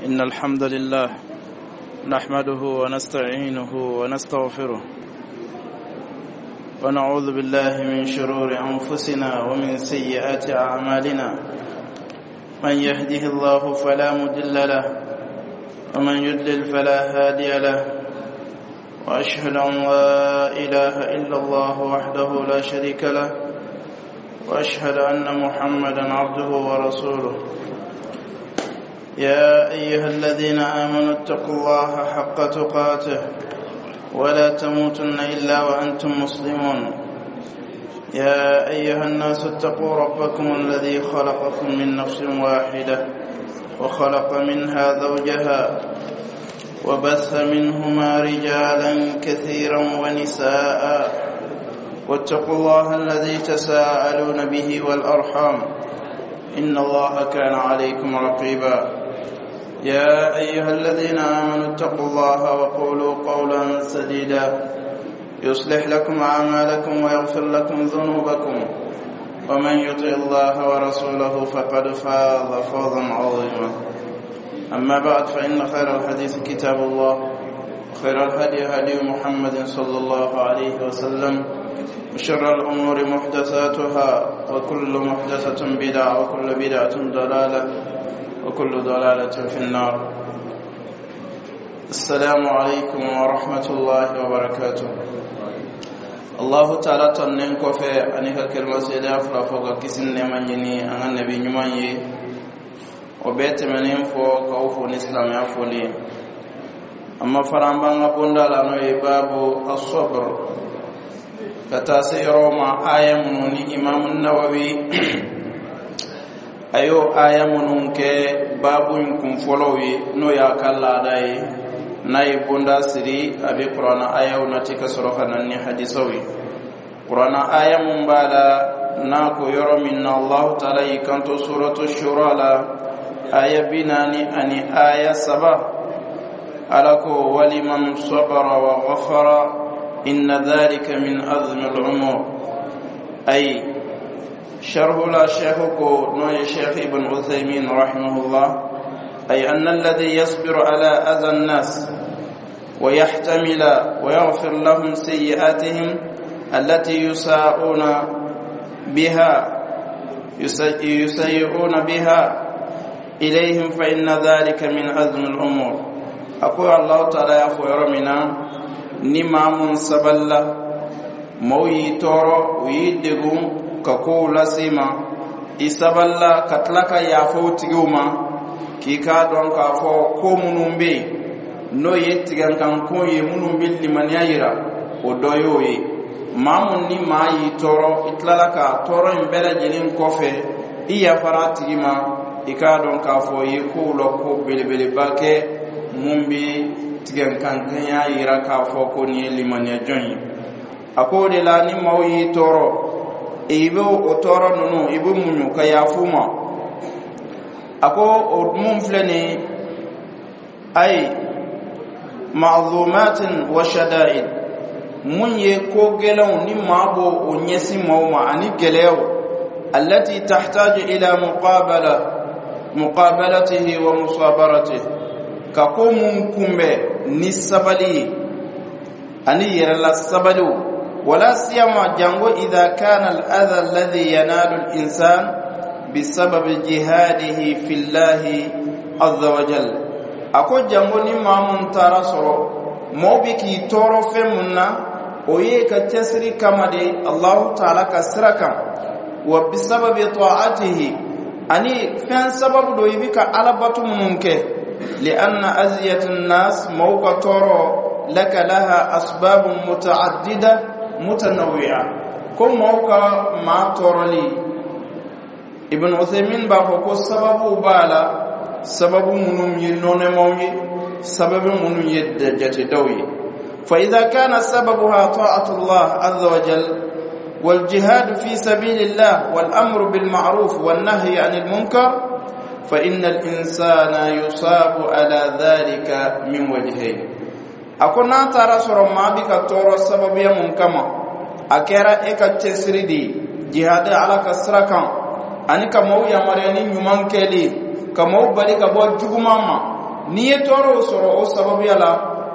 إن الحمد لله نحمده ونستعينه ونستغفره ونعوذ بالله من شرور أنفسنا ومن سيئات أعمالنا. من يهده الله فلا مضل له ومن يضلل فلا هادي له، وأشهد أن لا إله إلا الله وحده لا شريك له، وأشهد أن محمدا عبده ورسوله. يا أيها الذين آمنوا اتقوا الله حق تقاته ولا تموتن إلا وأنتم مسلمون. يا أيها الناس اتقوا ربكم الذي خلقكم من نفس واحدة وخلق منها زوجها وبث منهما رجالا كثيرا ونساء، واتقوا الله الذي تساءلون به والأرحام إن الله كان عليكم رقيبا. يا أيها الذين آمنوا اتقوا الله وقولوا قولا سديدا يصلح لكم أعمالكم ويغفر لكم ذنوبكم، ومن يطع الله ورسوله فقد فاز فوزا عظيما. أما بعد، فإن خير الحديث كتاب الله، وخير الهدي هدي محمد صلى الله عليه وسلم، وشر الأمور محدثاتها، وكل محدثة بدعة، وكل بدعة ضلالة، وكل ضلالة في النار. السلام عليكم ورحمة الله وبركاته. الله تعالى tanunen kɔfɛ ani ka kɛlɛma seedeya fila fɔ ka kisi ni nɛɛma ɲini an ka nabi ɲuman ye, o bɛɛ tɛmɛnen fɔ k'aw fo ni silamɛya foli ye. A ma fara an b'an ka bonda la, n'o ye babu asɔbr, ka taa se yɔrɔ ma, aya minnu ni Imamu Nawawi a y'o aya minnu kɛ baabu in kun fɔlɔw ye, n'o y'a ka laada ye. N'a ye bonda siri, a bɛ Kuranna ayaw nati ka sɔrɔ ka na ni hadisaw ye. Kuranna aya mun b'a la, n'a ko yɔrɔ min na Allahu Taala y'i kanto Suratu Shura la, aya 43, Ala ko: waliman sabara wa ghafara inna dhalika min azmi al-umur. Ay sharhu la, sheikh ko, n'o ye Sheikh Ibn Uthaymin rahimahullah: أي أن الذي يصبر على أذى الناس ويحتمل ويغفر لهم سيئاتهم التي يسيئون بها إليهم، فإن ذلك من عزم الأمور. أقول الله تعالى يا منا ni maa mun sabalila, maaw y'i tɔɔrɔ, u y'i degun ka kow lase ma, i sabalila ka tila ka yafa o tigiw ma, k'i k'a dɔn k'a fɔ ko minnu bɛ yen, n'o ye tigɛnkanko ye, minnu bɛ limaniya yira, o dɔ y'o ye. Maa mun ni maa y'i tɔɔrɔ, i tilala ka tɔɔrɔ in bɛɛ lajɛlen kɔfɛ, i yafara a tigi ma, i k'a dɔn k'a fɔ i ye kow la ko belebeleba kɛ mun bɛ tigɛnkankanya yira k'a fɔ ko nin ye limaniya jɔn ye. A ko o de la, ni maaw y'i tɔɔrɔ, i bɛ o tɔɔrɔ ninnu, i bɛ muɲu ka yafu ma. A ko o mun filɛ nin ye, ayi ma'zumatin wa shada'id, mun ye ko gɛlɛnw ni maa b'o o ɲɛsin maaw ma ani gɛlɛyaw, allati tahtaju ila muqabalatihi wa musabaratihi, ka ko mun kunbɛn ni sabali ye ani yɛrɛla sabaliw. Wala siyama, jango idha kana al-adha alladhi yanalu al-insan bisababi jihadihi fillahi azza wa jal. A ko jango ni maa mun taara sɔrɔ mɔɔ bɛ k'i tɔɔrɔ fɛn mun na, o ye ka cɛsiri kama de Allahu Taala ka sira kan, wa bisababi ta'atihi, ani fɛn sababu do i bɛ ka Ala bato minnu kɛ. Li'anna aziyat an-nas, mɔɔw ka tɔɔrɔ, laka laha asbabun muta'addida mutanawwi'a, ko mɔɔw ka maa tɔɔrɔli, Ibn Uthaymin b'a fɔ ko sababu b'a la, sababu minnu ye nɔnɛmaw ye, sababu minnu ye jatedaw ye. فإذا كان سببها طاعة الله عز وجل والجهاد في سبيل الله والأمر بالمعروف والنهي عن المنكر، فإن الإنسان يصاب على ذلك من وجهين. A ko n'a taara sɔrɔ maa bi ka tɔɔrɔ sababuya mun kama, a kɛra e ka cɛsiri de ye jihadi Ala ka sira kan. Ani ka maaw yamaruya ni ɲuman kɛli, ka maaw bali ka bɔ juguman ma. N'i ye tɔɔrɔw sɔrɔ o sababuya la,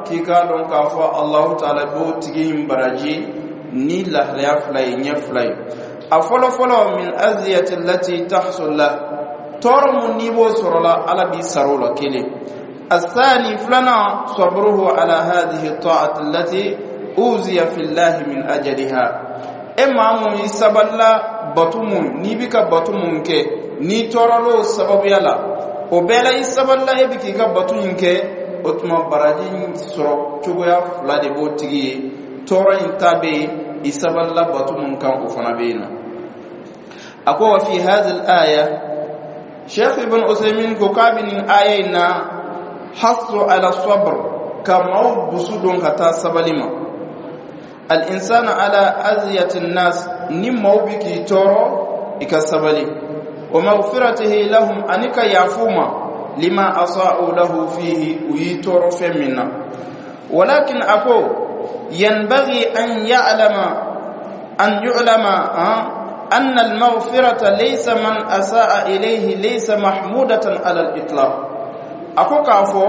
k'i k'a dɔn k'a fɔ Alahu Taala b'o tigi in baraji ni lahalaya fila ye, ɲɛ fila ye. A fɔlɔ fɔlɔ, min aziyati lati tahsul la, tɔɔrɔ mun n'i b'o sɔrɔ la, Ala b'i sara o la, kelen. الثاني فلنا، صبره على هذه الطاعة التي أوزي في الله من أجلها. E maa mun i sabalila bato mun n'i bɛ ka bato mun kɛ, n'i tɔɔrɔla o sababuya la, o bɛɛ la i sabalila, e bɛ k'i ka bato in kɛ, o tuma baraji in sɔrɔ cogoya fila de b'o tigi ye. Tɔɔrɔ in ta bɛ yen, i sabalila bato mun kan, o fana bɛ yen nɔ. A ko wa fi hadhihi al-aya, Sheikh Ibn Usaymin ko k'a bɛ nin aya in na, hasu ala sabr, ka maaw dusu don ka taa sabali ma. Al-insana ala aziyati nas, ni maaw bi k'i tɔɔrɔ, i ka sabali. Wa maghfiratihi lahum, ani ka yafu ma, lima asa'u lahu fihi, u y'i tɔɔrɔ fɛn min na. Walakin, a ko, yanbaghi an ya'lama an yu'lama أن المغفرة ليس من أساء إليه ليس محمودة على الإطلاق. A ko k'a fɔ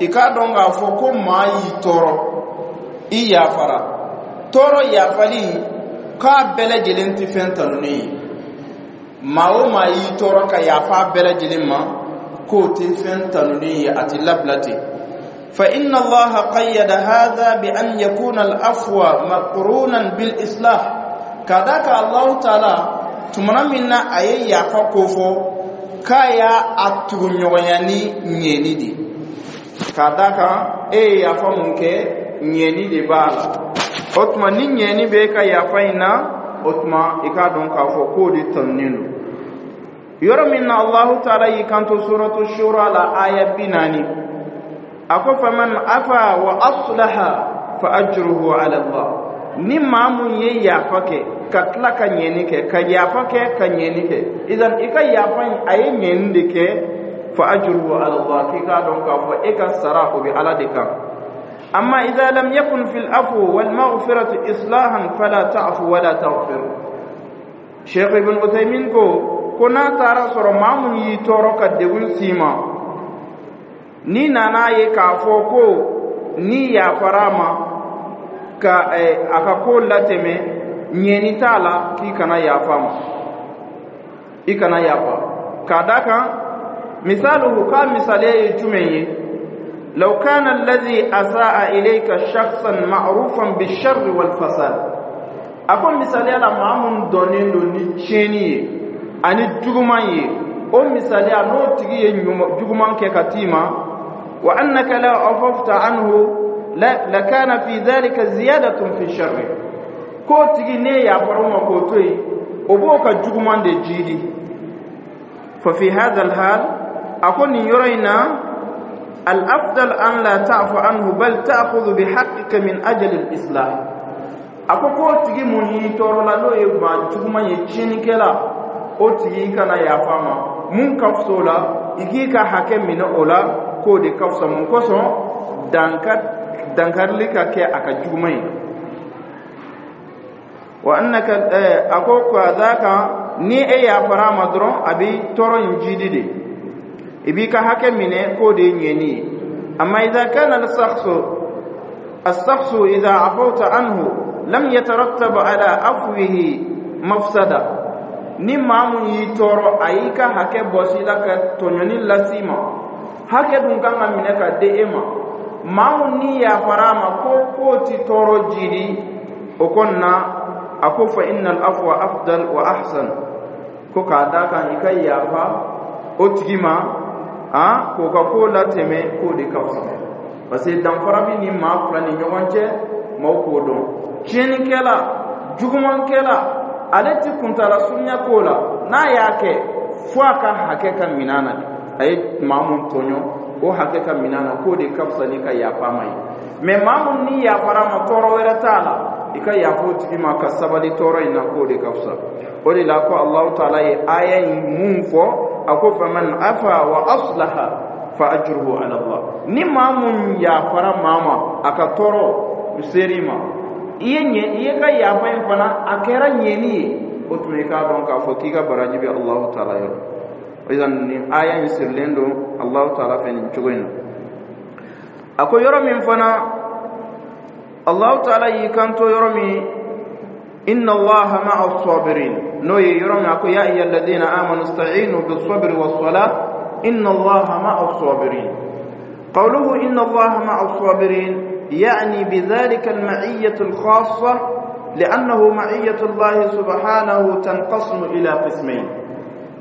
i k'a dɔn k'a fɔ ko maa y'i tɔɔrɔ, i yafara, tɔɔrɔ yafali k'a bɛɛ lajɛlen tɛ fɛn tanunen ye. Maa o maa y'i tɔɔrɔ ka yafa bɛɛ lajɛlen ma, k'o tɛ fɛn tanunen ye, a tɛ labila ten. فإن الله قيد هذا بأن يكون العفو مقرونا بالإصلاح. Ka da kan Allahu Taala tumana min na a ye yafa ko fɔ, k'a y'a a tugu ɲɔgɔnya ni ɲɛni de. Ka da kan e ye yafa mun kɛ, ɲɛni de b'a la. O tuma ni ɲɛni bɛ e ka yafa in na, o tuma i k'a dɔn k'a fɔ k'o de tanunen don. Yɔrɔ min na Allahu Taala y'i kanto Suratu Shura la, aya 40, a ko: faman afa wa aslaha fa ajruhu ala Allah. Ni maa mun ye yafa kɛ ka tila ka ɲɛni kɛ, ka yafa kɛ ka ɲɛni kɛ, idan i ka yafa in, a ye ɲɛni de kɛ, fa ajruhu ala Allah, k'i k'a dɔn k'a fɔ e ka sara, o bɛ Ala de kan. Amma idha lam yakun fil afwi wal maghfirati islahan, fala ta'fu wala taghfir. Sheikh Ibn Uthaymin ko n'a taara sɔrɔ maa mun y'i tɔɔrɔ ka degun s'i ma, n'i nana ye k'a fɔ ko n'i yafara a ma ka a ka ko latɛmɛ, ɲɛni t'a la, k'i kana yafa ma, i kana yafa. K'a da kan misaluhu, k'a misaliya ye jumɛn ye? لو كان الذي أساء إليك شخصا معروفا بالشر والفساد. A ko misaliya la, maa mun dɔnnen don ni tiɲɛni ye ani juguman ye, o misaliya n'o tigi ye juguman kɛ ka t'i ma, wa annaka la afafta anhu lakana fi dhalika ziyadatun fi sharri. K'o tigi ne yafara o ma k'o to yen, o b'o ka juguman de jiidi. Fa fi hadha alhal, a ko nin yɔrɔ in na, الأفضل أن لا تعفو عنه بل تأخذ بحقك من أجل الإصلاح. A ko k'o tigi mun y'i tɔɔrɔ la, n'o ye maa juguman ye, tiɲɛnikɛla, o tigi i kana yafa ma. Mun ka fisa o la, i k'i ka hakɛ minɛ o la, k'o de ka fisa. Mun kosɔn? Dankarili ka kɛ a ka juguman ye. Wa annaka, a ko ka d'a kan ni e yafara a ma dɔrɔn, a bɛ tɔɔrɔ in jidi de, i b'i ka hakɛ minɛ, k'o de ye ɲɛni ye. Amma idha kana الشخص إذا عفوت عنه لم يترتب على عفوه مفسدة. Ni maa mun y'i tɔɔrɔ, a y'i ka hakɛ bɔsi la ka tɔɲɔni las'i ma, hakɛ dun kan ka minɛ ka di e ma, maa mun ni yafara a ma ko k'o ti tɔɔrɔ jidi o kɔni na, a ko fa innal afwa afdal wa ahsan. Ko k'a da kan i ka yafa o tigi ma, a k'o ka ko latɛmɛ, k'o de ka fisa. Parce que danfara bɛ ni maa fila ni ɲɔgɔn cɛ, maaw k'o dɔn. Tiɲɛnikɛla, jugumankɛla, ale ti kuntala surunya ko la. N'a y'a kɛ, fo a ka hakɛ ka minɛ na de. A ye maa mun tɔɲɔ, o hakɛ ka minɛ na, k'o de ka fisa ni ka yafa ma ye. Mɛ maa mun ni yafara ma, tɔɔrɔ wɛrɛ t'a la, i ka yafa o tigi ma ka sabali tɔɔrɔ in na, k'o de ka fisa. O de la ko Alahu Taala ye aya in mun fɔ, a ko: faman afa wa aslaha fa ajruhu ala Allah. Ni maa mun yafara maa ma a ka tɔɔrɔ ser'i ma, i ye ɲɛ, i ye ka yafa in fana, a kɛra ɲɛni ye. O tuma i k'a dɔn k'a fɔ k'i ka baraji bɛ Alahu taala yɔrɔ. Idan nin aya in sirilen don Alahu taala fɛ nin cogo in na. A ko yɔrɔ min fana, Allahu taala y'i kanto yɔrɔ min, inna Allaha ma'a as-sabirin, n'o ye yɔrɔ min a ko ya ayyuha alladhina amanu ista'inu bis-sabri was-salah inna Allaha ma'a as-sabirin. Qawluhu inna Allaha ma'a as-sabirin يعني بذلك المعية الخاصة، لأنه معية الله سبحانه تنقسم إلى قسمين.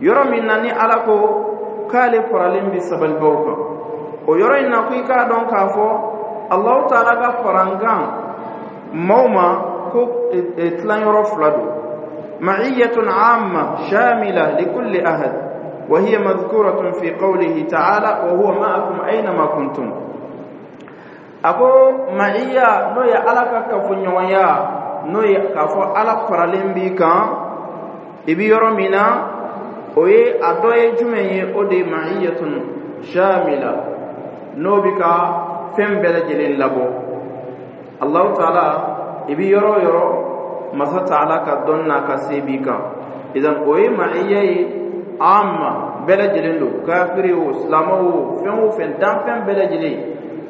Yɔrɔ min na ni Ala ko k'ale faralen bi sabalibaw kan, o yɔrɔ in na ko i k'a dɔn k'a fɔ Allahu taala ka farankan maaw ma ko tilanyɔrɔ fila don. Ma'iyyatun amma shamila likulli ahad wa hiya madhkuratun fi qawlihi ta'ala wa huwa ma'akum aynama kuntum. A ko ma'iyya, n'o ye Ala ka kafoɲɔgɔnya, n'o ye k'a fɔ Ala faralen b'i kan i bi yɔrɔ min na, o ye a dɔ ye jumɛn ye? O de ye ma'iyyatun shamila, n'o bi ka fɛn bɛɛ lajɛlen labɔ. Allahu taala, i bi yɔrɔ o yɔrɔ, Masa taala ka dɔn n'a ka se b'i kan. Idan o ye ma'iyya ye amma, bɛɛ lajɛlen don, kafiri o, silamɛ o, fɛn o fɛn, danfɛn bɛɛ lajɛlen,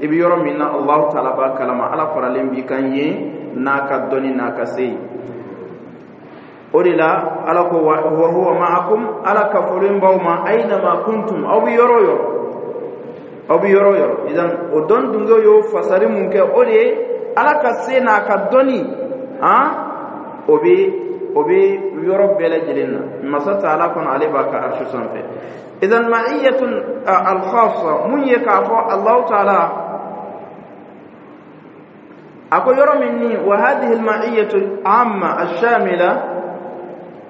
i bi yɔrɔ min na, Allahu taala b'a kalama, Ala faralen b'i kan yen n'a ka dɔnni n'a ka se ye. O de la Ala ko wa huwa ma'akum, Ala kafolen b'aw ma, aynama kuntum, aw bi yɔrɔ o yɔrɔ, aw bi yɔrɔ o yɔrɔ. Idan o dɔn dungew y'o fasari mun kɛ, o de ye Ala ka se n'a ka dɔnni, han, o bɛ yɔrɔ bɛɛ lajɛlen na. Masa taala kɔnɔ, ale b'a ka arsu sanfɛ. Idan ma'iyyatun al-khassa, mun ye k'a fɔ Allahu taala a ko yɔrɔ min ni wa hadhihi al-ma'iyyatu amma ash-shamila,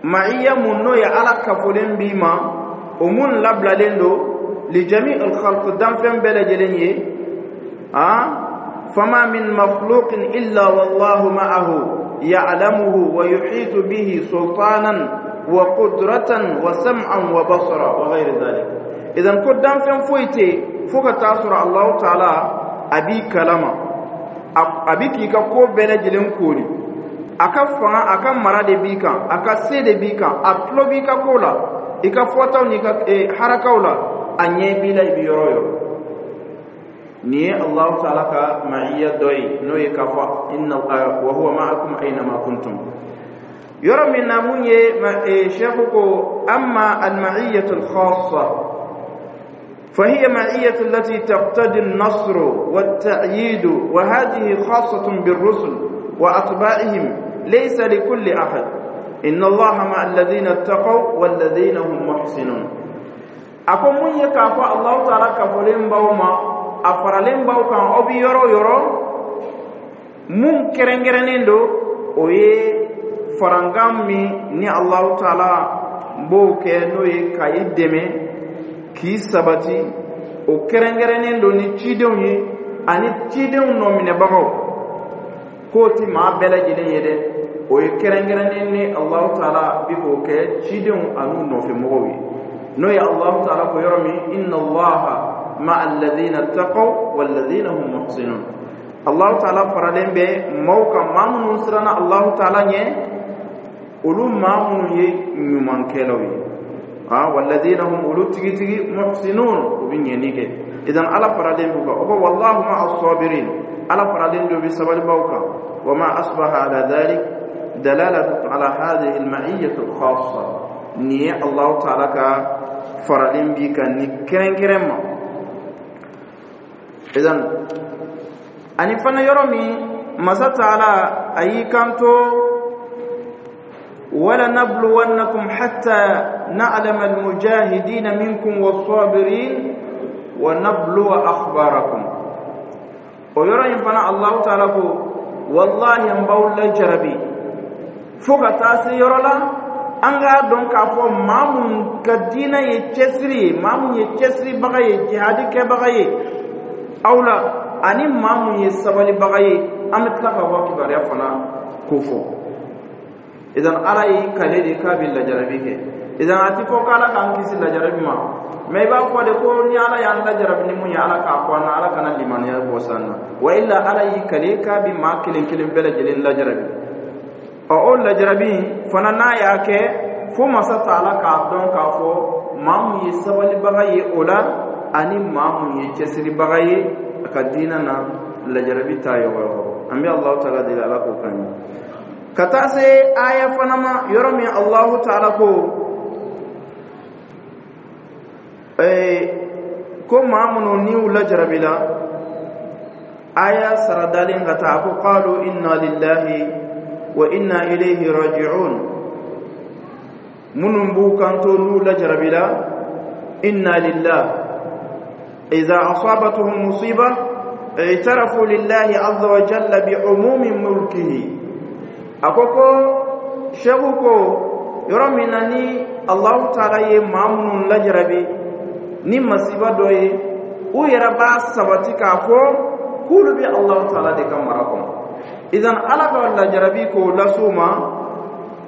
ma'iyya mun n'o ye Ala kafolen b'i ma, o mun labilalen don li jami' al-khalq, danfɛn bɛɛ lajɛlen ye, fama min makhluqin illa wallahu ma'ahu ya'lamuhu wa yuhitu bihi sultanan wa qudratan wa sam'an wa basara wa ghayri dhalik. Idan ko danfɛn foyi tɛ fo ka taa sɔrɔ Allahu taala a b'i kalama, a bi k'i ka ko bɛɛ lajɛlen koori, a ka fanga, a ka mara de b'i kan, a ka se de b'i kan, a tulo b'i ka ko la, i ka fɔtaw n'i ka harakaw la, a ɲɛ b'i la i bi yɔrɔ o yɔrɔ. Nin ye Allahu taala ka ma'iyya dɔ ye, n'o ye k'a fɔ inna wa huwa ma'akum aynama kuntum. Yɔrɔ min na mun ye, cheikh ko amma al-ma'iyyatu al-khassa فهي معية التي تقتضي النصر والتأييد، وهذه خاصة بالرسل وأتباعهم، ليس لكل أحد. إن الله مع الذين اتقوا والذين هم محسنون. Ako mun ye k'a fɔ Allahu taala kafolen b'aw ma, a faralen b'aw kan aw bi yɔrɔ o yɔrɔ, mun kɛrɛnkɛrɛnnen don, o ye farankan min ni Allahu taala b'o kɛ, n'o ye ka i dɛmɛ k'i sabati, o kɛrɛnkɛrɛnnen don ni cidenw ye ani cidenw nɔminɛbagaw. K'o ti maa bɛɛ lajɛlen ye dɛ, o ye kɛrɛnkɛrɛnnen ni Allahu taala bi k'o kɛ cidenw an'u nɔfɛmɔgɔw ye, n'o ye Allahu taala ko yɔrɔ min inna Allaha ma'a alladhina taqaw walladhina hum muhsinun. Allahu taala faralen bɛ maaw kan, maa minnu siranna Allahu taala ɲɛ, olu maa minnu ye ɲumankɛlaw ye, walladhina hum, olu tigitigi, muhsinun, u bɛ ɲɛni kɛ. Idan Ala faralen b'u kan. O ko wallahu ma'a as-sabirin, Ala faralen do bi sabalibaw kan. Wa ma asbaha ala dhalik dalalatu ala hadhihi al-ma'iyyah al-khassa. Nin ye Allahu taala ka faralen b'i kan ni kɛrɛnkɛrɛn ma. Idan ani fana yɔrɔ min Masa taala a y'i kanto ولنبلونكم حتى نعلم المجاهدين منكم والصابرين ونبلو أخباركم. O yɔrɔ in fana, Allahu taala ko wallahi n b'aw lajarabi fo ka taa se yɔrɔ la an k'a dɔn k'a fɔ maa mun ka diinɛ ye cɛsiri ye, maa mun ye cɛsiribaga ye, jihadi kɛbaga ye aw la, ani maa mun ye sabalibaga ye, an bɛ tila ka bɔ kibaruya fana ko fɔ. Idan Ala y'i kale de k'a bɛ lajarabi kɛ. Idan a ti fɔ k'Ala k'an kisi lajarabi ma, mɛ i b'a fɔ de ko ni Ala y'an lajarabi ni mun ye, Ala k'a fɔ an na, Ala kana limaniya bɔ san na. Wa illa Ala y'i kale k'a bɛ maa kelen kelen bɛɛ lajɛlen lajarabi. Ɔ, o lajarabi fana, n'a y'a kɛ fo Masa Taala k'a dɔn k'a fɔ maa mun ye sabalibaga ye o la, ani maa mun ye cɛsiribaga ye a ka diinɛ na, lajarabi t'a yɔgɔyɔgɔ. An bɛ Alahu Taala deli, Ala k'o kan ye. Ka taa se aya fana ma, yɔrɔ min Alahu Taala ko maa minnu ni u lajarabila, aya saradalen ka taa, a ko: qalu inna lillahi wa inna ilayhi raji'un. Minnu b'u kanto n'u lajarabila: inna lillah. Idha asabatuhum musiba i'tarafu lillahi azza wa jalla bi umumi mulkihi. A ko seku ko yɔrɔ min na ni Allahu Taala ye maa minnu lajarabi ni masiba dɔ ye, u yɛrɛ b'a sabati k'a fɔ k'olu bɛ Allahu Taala de ka mara kɔnɔ. Idan Ala ka lajarabi k'o las'u ma,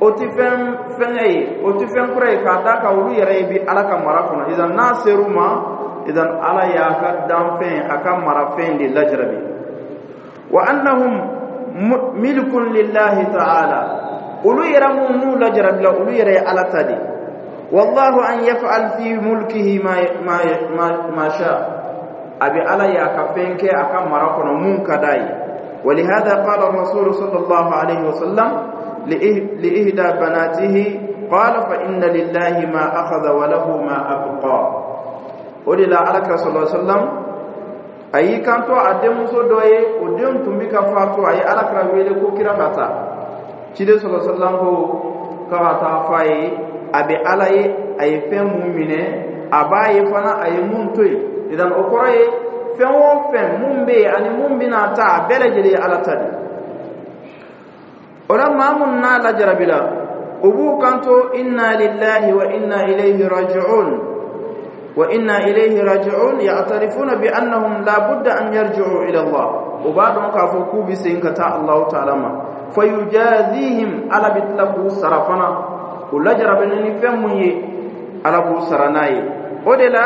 o tɛ fɛn fɛngɛ ye, o tɛ fɛn kura ye, k'a d'a kan olu yɛrɛ ye bi Ala ka mara kɔnɔ. Idan n'a ser'u ma, idan Ala y'a ka danfɛn, a ka marafɛn de lajarabi. Wa annahum milkun lillahi ta'ala, olu yɛrɛ mun n'u lajarabila, olu yɛrɛ ye Ala ta de. Wallahu an yaf'al fi mulkihi ma sha, a bɛ Ala ye a ka fɛn kɛ a ka mara kɔnɔ mun ka d'a ye. ولهذا قال الرسول صلى الله عليه وسلم لإهدى بناته، قال: فإن لله ما أخذ وله ما أبقى. O de la Ala صلى الله عليه وسلم a y'i kanto a denmuso dɔ ye, o den tun bɛ ka fatu. A ye Ala kira wele ko kira ka taa. Ciden صلى الله عليه وسلم ko k'a ka taa f'a ye, a bɛ Ala ye, a ye fɛn mun minɛ, a b'a ye fana a ye mun to yen. Idan o kɔrɔ ye, fɛn o fɛn mun bɛ yen ani mun bɛna ta, a bɛɛ lajɛlen ye Ala ta de. O la, maa mun n'a lajarabila, u b'u kanto: inna lillahi wa inna ilayhi raji'un. Wa inna ilayhi raji'un, ya'tarifuna bi annahum la budda an yarji'u ila Allah. U b'a dɔn k'a fɔ k'u bɛ segin ka taa Allahu Ta'ala ma. Fayujazihim, Ala bɛ tila k'u sara fana. U lajarabini ni fɛn mun ye, Ala b'u sara n'a ye. O de la,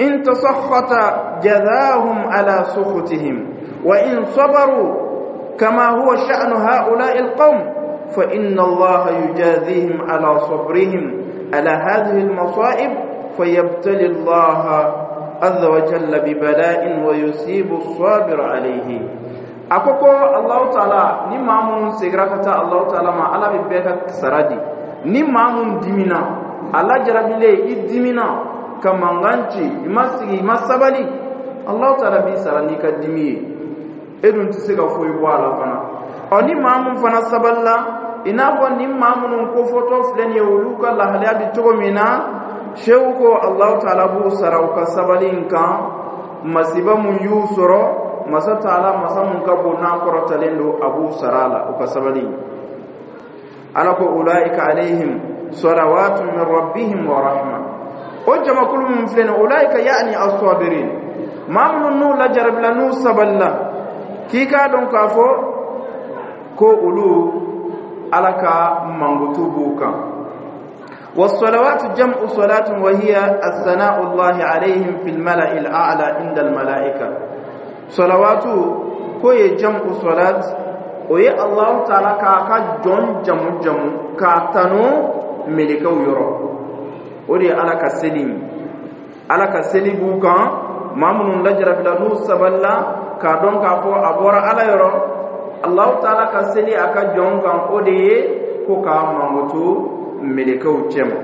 in tasakhata jazahum ala sukhutihim, wa in sabaru kama huwa sha'nu ha'ula'i alqawm, fa inna Allah yujazihim ala sabrihim ala hadhihi almasa'ib, fayabtali Allah azza wa jalla bi bala'in wa yusibu as-sabir alayhi. A ko Allahu Taala ni maa mun segira ka taa Allahu Taala ma, Ala bɛ bɛɛ ka sara di. Ni maa mun dimina, a lajarabilen, i dimina ka mankan ci, i ma sigi, i ma sabali, Allahu Taala b'i sara n'i ka dimi ye, e dun tɛ se ka foyi bɔ a la fana. Ɔ, ni maa mun fana sabalila, i n'a fɔ ni maa minnu kofɔtɔ filɛ nin ye, olu ka lahalaya bɛ cogo min na, sew ko Allahu Taala b'u sara u ka sabali in kan. Masiba mun y'u sɔrɔ, Masa Taala, masa mun ka bon n'a kɔrɔtalen don, a b'u sara a la u ka sabali. Ala ko: ulaika alayhim salawatu min rabbihim wa rahma. O jamakulu mun filɛ nin, ulaika yani as-sabirin, maa minnu n'u lajarabila, n'u sabalila, k'i k'a dɔn k'a fɔ ko olu, Ala ka mankutu b'u kan. والصلوات جمع صلاة، وهي الثناء الله عليهم في الملأ الأعلى عند الملائكة. صلوات ko ye جمع صلاة, o ye Allah Taala k'a ka jɔn jamu jamu k'a tanu melekaw yɔrɔ. O de ye Ala ka seli ye. Ala ka seli b'u kan, maa minnu lajarabila, n'u sabalila k'a dɔn k'a fɔ a bɔra Ala yɔrɔ. Allahu Taala ka seli a ka jɔn kan, o de ye ko k'a mankutu melekaw cɛma.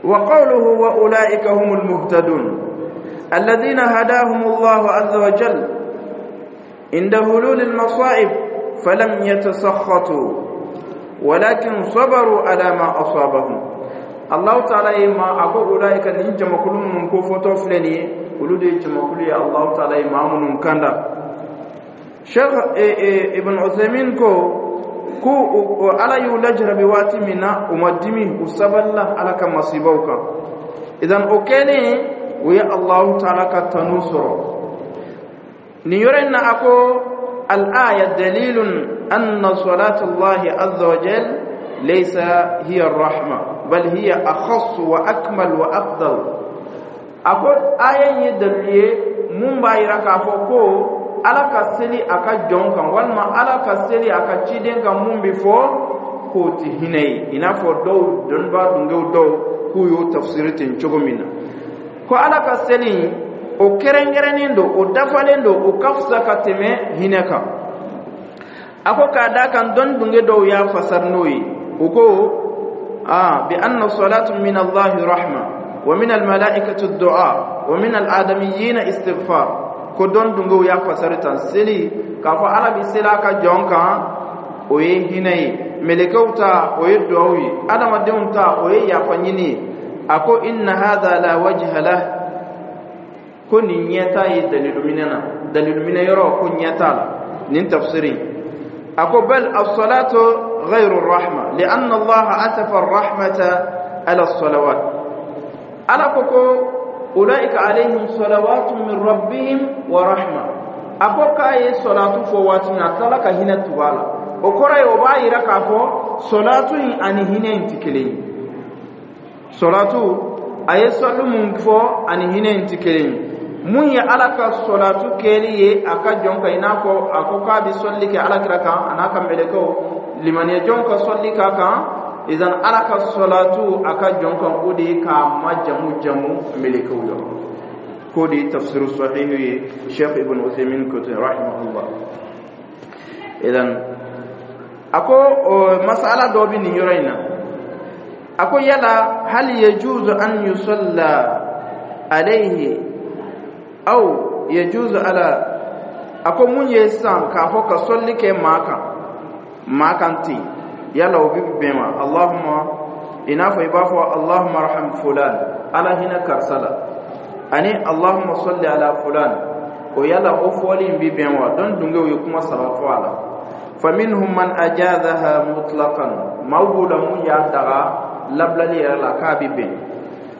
Wa qawluhu: wa ulaika humul muhtadun, alladhina hadahum Allah azza wa jalla inda hulul al-masa'ib, falam yatasakhatu walakin sabaru ala ma asabahum. Allah Taala ye ma a ko ulaika, nin jamakulu minnu ko fɔtɔ filɛ nin ye, olu de ye jamakulu ye Allah Taala ye maa minnu kanda. Cheikh Ibn Uthaymeen ko Ala y'u lajarabi waati min na, u ma dimi, u sabalila Ala ka masibaw kan. Idan o kɛlen, u ye Allahu Taala ka tanu sɔrɔ nin yɔrɔ in na. A ko: al-aya dalilun anna salatu Allahi azza wa jal laysa hiya ar-rahma, bal hiya akhass wa akmal wa afdal. A ko aya in ye dalili ye mun b'a yira k'a fɔ ko Ala ka seli a ka jɔn kan walima Ala ka seli a ka ciden kan, mun bɛ fɔ k'o tɛ hinɛ ye, i n'a fɔ dɔw dɔnnibaa dungew dɔw k'u y'o tafsiri ten cogo min na, ko Ala ka seli o kɛrɛnkɛrɛnnen don, o dafalen don, o ka fisa ka tɛmɛ hinɛ kan. A ko k'a d'a kan dɔnni dunge dɔw y'a fasari n'o ye, u ko bi anna salatu min Allahi rahma wa min almalaikati du'a wa min aladamiyina istighfar. Ko dɔnni dungew y'a fasari tan, seli k'a fɔ Ala bɛ seli a ka jɔn kan, o ye hinɛ ye, mɛlɛkɛw ta o ye duwawu ye, adamadenw ta o ye yafa ɲini ye. A ko inna hadha la wajha lah, ko nin ɲɛ t'a ye dalilu minɛ na, dalilu minɛ yɔrɔ ko ɲɛ t'a la nin tafsiri. A ko bal as-salatu ghayru rahma li'anna Allah atafa ar-rahmata ala as-salawat. Ala ko ulaika alayhim salawatu min rabbihim wa rahma. A ko k'a ye salatu fɔ waati min, a tilala ka hinɛ tugu a la. O kɔrɔ ye, o b'a yira k'a fɔ salatu in ani hinɛ in tɛ kelen ye. Salatu, a ye sɔli mun fɔ, ani hinɛ in tɛ kelen ye. Mun ye Ala ka sɔlatu kɛli ye a ka jɔn kan, i n'a fɔ a ko k'a bɛ sɔli kɛ Ala kira kan a n'a ka mɛlɛkɛw, limaniya jɔnw ka sɔli k'a kan. Idan Ala ka sɔlatu a ka jɔn kan, o de ye k'a ma jamu jamu mɛlɛkɛw yɔrɔ, k'o de ye tafsiru sahihu ye. Sheikh Ibn Uthaymin ko ten, rahimahullah. Idan a ko masala dɔ bɛ nin yɔrɔ in na. A ko yala hal yajuzu an yusalla alayhi aw yajuzu ala? A ko mun ye sisan k'a fɔ ka sɔli kɛ maa kan, maa kan ten, yala o bɛ bɛn wa? Allahumma, i n'a fɔ i b'a fɔ allahumma arham fulan, Ala hinɛ karisa la, ani allahumma salli ala fulan, o yala o fɔli in bɛ bɛn wa? Dɔn dungew ye kuma saba fɔ a la. Faminhum man ajazaha mutlaqan, maaw b'o la mun y'a daga labilali yɛrɛ la k'a bɛ bɛn.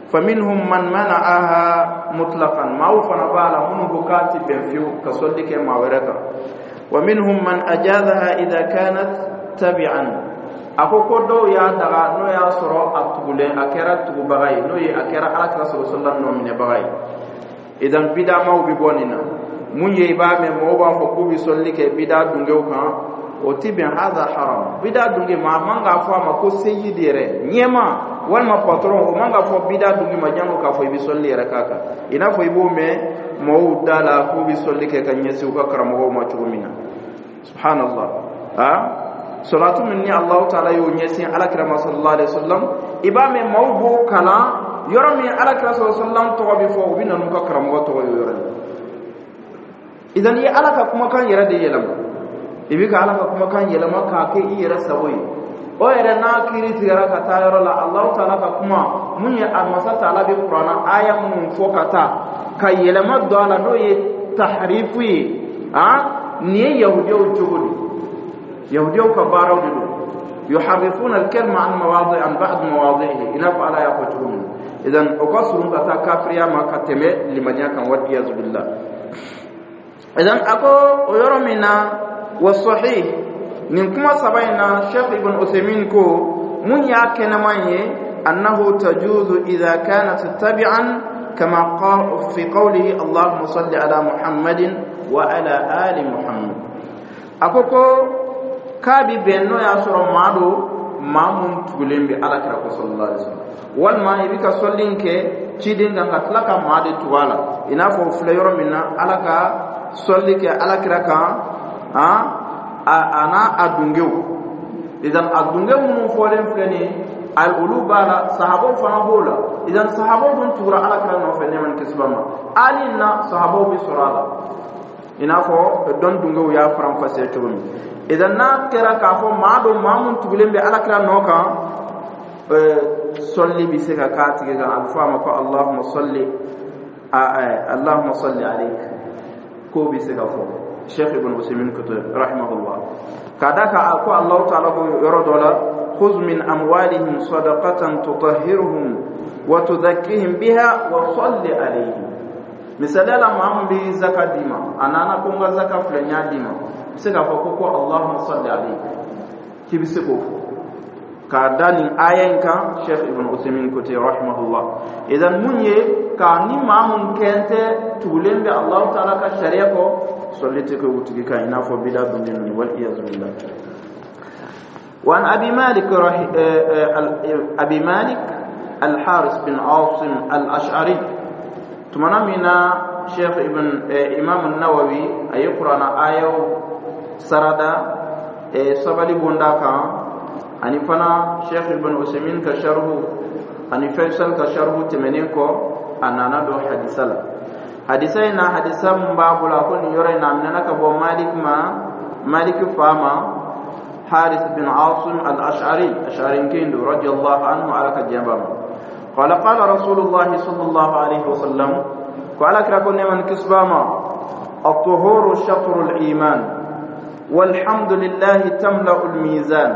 Faminhum man mana'aha mutlaqan, maaw fana b'a la minnu ko k'a ti bɛn fiyewu ka sɔli kɛ maa wɛrɛ kan. Wa minhum man ajazaha idha kanat tabi'an, a ko ko dɔw y'a daga n'o y'a sɔrɔ a tugulen, a kɛra tugubaga ye, n'o ye a kɛra Ala kira sɔrɔ sɔlila nɔ minɛbaga ye. Idan bidamaw bɛ bɔ nin na. Mun ye, i b'a mɛn mɔgɔw b'a fɔ k'u bɛ sɔli kɛ bida dungew kan, o ti bɛn, hadha haram. Bida dunge, maa man k'a fɔ a ma ko seyidi yɛrɛ, ɲɛma walima patron, o man k'a fɔ bida dunge ma, jango k'a fɔ i bɛ sɔli yɛrɛ k'a kan. I n'a fɔ i b'o mɛn mɔgɔw da la k'u bɛ sɔli kɛ ka ɲɛsin u ka karamɔgɔw ma cogo min na, subhanallah. A salatu min ni Allahu taala y'o ɲɛsin Ala kira ma sallallahu alaihi wasallam, i b'a mɛn maaw b'o kalan yɔrɔ min Ala kira sallallahu alaihi wasallam tɔgɔ bɛ fɔ, u bɛ na n'u ka karamɔgɔ tɔgɔ ye o yɔrɔ la. Idan i ye Ala ka kumakan yɛrɛ de yɛlɛma, i bɛ ka Ala ka kumakan yɛlɛma k'a kɛ i yɛrɛ sago ye. O yɛrɛ n'a kiiri tigɛra ka taa yɔrɔ la, Alahu taala ka kuma mun ye, a masa taala bɛ Kuranna aya minnu fɔ ka taa ka yɛlɛma don a la, n'o ye taharifu ye. A nin ye yahudiyaw cogo de, yahudiyaw ka baaraw de don, yuharrifuna al-kalima an mawadi an ba'd mawadihi, i n'a fɔ Ala y'a fɔ cogo min na. Idan o ka surun ka taa kafiriya ma ka tɛmɛ limaniya kan, wal iyazu billah. Idan a ko o yɔrɔ min na, wa sahih, nin kuma saba in na, Sheikh Ibn Uthaymin ko mun y'a kɛnɛman ye, annahu tajuzu idha kanat tabi'an kama fi qawlihi allahumma salli ala Muhammadin wa ala ali Muhammad. A ko k'a bi bɛn n'o y'a sɔrɔ maa do, maa mun tugulen bɛ Ala kira ko sallallahu alaihi wasallam, walima i bɛ ka sɔli in kɛ ciden kan ka tila ka maa de tugu a la, i n'a fɔ o filɛ yɔrɔ min na, Ala ka sɔli kɛ Ala kira kan a n'a a dungew. Idan a dunge minnu fɔlen filɛ nin ye, olu b'a la, sahabaw fana b'o la. Idan sahabaw dun tugura Ala kira nɔfɛ, nɛɛma ni kisi b'a ma, hali na sahabaw bɛ sɔrɔ a la, i n'a fɔ dɔn dungew y'a faranfasiya cogo min. Idan n'a kɛra k'a fɔ maa don, maa mun tugulen bɛ Ala kira nɔ kan, sɔli bɛ se ka k'a tigi kan, a bɛ fɔ a ma ko allahumma salli, allahumma salli alayk, k'o bɛ se ka fɔ. Sheikh Ibn Usaymin ko rahimahullah, k'a da kan a ko Allahu taala ko yɔrɔ dɔ la, khudh min amwalihim sadaqatan tutahhiruhum wa tuzakkihim biha wa salli alayhim. Misaliya la, maa min bɛ zaka d'i ma, a nana ko n ka zaka filɛ, n y'a d'i ma, i bɛ se k'a fɔ ko allahumma salli alayhi, k'i bɛ se k'o fɔ. K'a da nin aya in kan, Sheikh Ibn Uthaymeen ko ten rahimahullah. Idan mun ye ka ni maa mun kɛntɛ tugulen bɛ Allahu taala ka sariya kɔ, sɔli tɛ kɛ o tigi kan, i n'a fɔ bida dunnen ninnu, wal iyazu billah. وعن أبي مالك رح... أبي مالك الحارث بن عاصم الأشعري. Tumana min na Sheikh Ibn Imam Nawawi a ye Kuranna ayaw sarada sabali bonda kan, ani fana Sheikh Ibn Usaimin ka sharhu ani Faisal ka sharhu tɛmɛnen kɔ, a nana don hadisa la. Hadisa in na, hadisa mun b'a bolo, a ko nin yɔrɔ in na, a minɛna ka bɔ Malik ma, Malik fa ma, Haris bin Asim al-Ash'ari, Ash'ari kendo, radiyallahu anhu, ala ka diɲɛ b'a ma. قال قال رسول الله صلى الله عليه وسلم، قال كرا من كسباما: الطهور شطر الإيمان، والحمد لله تملأ الميزان،